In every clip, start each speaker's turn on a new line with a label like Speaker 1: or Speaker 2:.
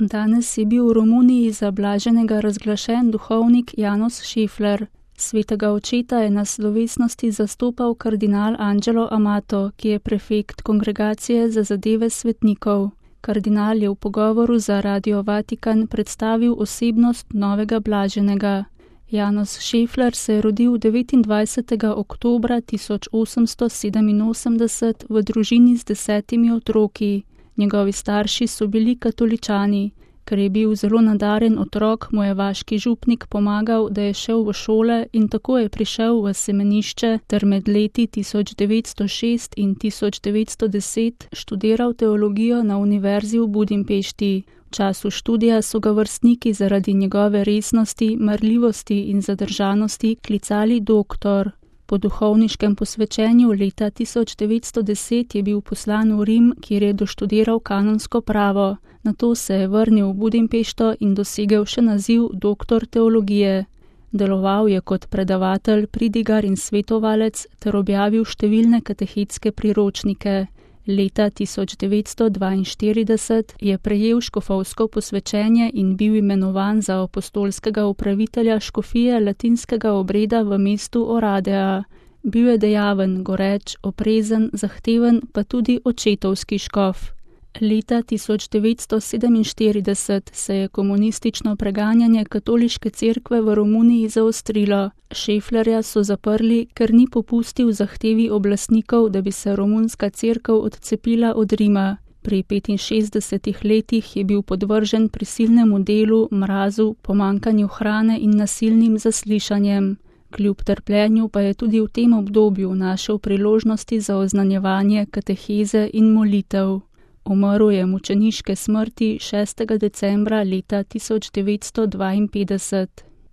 Speaker 1: Danes je bil v Romuniji za blaženega razglašen duhovnik János Šefler. Svetega očeta je na slovesnosti zastopal kardinal Angelo Amato, ki je prefekt Kongregacije za zadeve svetnikov. Kardinal je v pogovoru za Radio Vatikan predstavil osebnost novega blaženega. János Šefler se je rodil 29. oktobra 1887 v družini z 10 otroki. Njegovi starši so bili katoličani. Ker je bil zelo nadaren otrok, mu je vaški župnik pomagal, da je šel v šole in tako je prišel v semenišče ter med leti 1906 in 1910 študiral teologijo na univerzi v Budimpešti. V času študija so ga vrstniki zaradi njegove resnosti, marljivosti in zadržanosti klicali doktor. Po duhovniškem posvečenju leta 1910 je bil poslan v Rim, kjer je doštudiral kanonsko pravo. Nato se je vrnil v Budimpešto in dosegel še naziv doktor teologije. Deloval je kot predavatelj, pridigar in svetovalec ter objavil številne katehetske priročnike. Leta 1942 je prejel škofovsko posvečenje in bil imenovan za apostolskega upravitelja škofije latinskega obreda v mestu Oradea. Bil je dejaven, goreč, oprezen, zahteven, pa tudi očetovski škof. Leta 1947 se je komunistično preganjanje katoliške cerkve v Romuniji zaostrilo. Šeflerja so zaprli, ker ni popustil zahtevi oblastnikov, da bi se romunska cerkev odcepila od Rima. Pri 65 letih je bil podvržen prisilnemu delu, mrazu, pomanjkanju hrane in nasilnim zaslišanjem. Kljub trpljenju pa je tudi v tem obdobju našel priložnosti za oznanjevanje, kateheze in molitev. Umrl je mučeniške smrti 6. decembra leta 1952.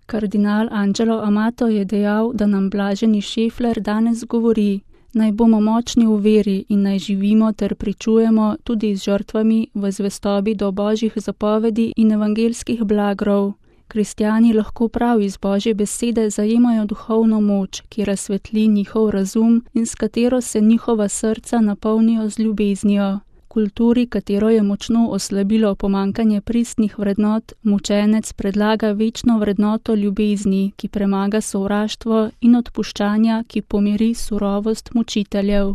Speaker 1: Kardinal Angelo Amato je dejal, da nam blaženi Šefler danes govori: naj bomo močni v veri in naj živimo ter pričujemo tudi z žrtvami v zvestobi do božjih zapovedi in evangelskih blagrov. Kristjani lahko prav iz Božje besede zajemajo duhovno moč, ki razsvetli njihov razum in s katero se njihova srca napolnijo z ljubeznijo. Kulturi, katero je močno oslabilo pomanjkanje pristnih vrednot, mučenec predlaga večno vrednoto ljubezni, ki premaga sovraštvo, in odpuščanja, ki pomiri surovost mučiteljev.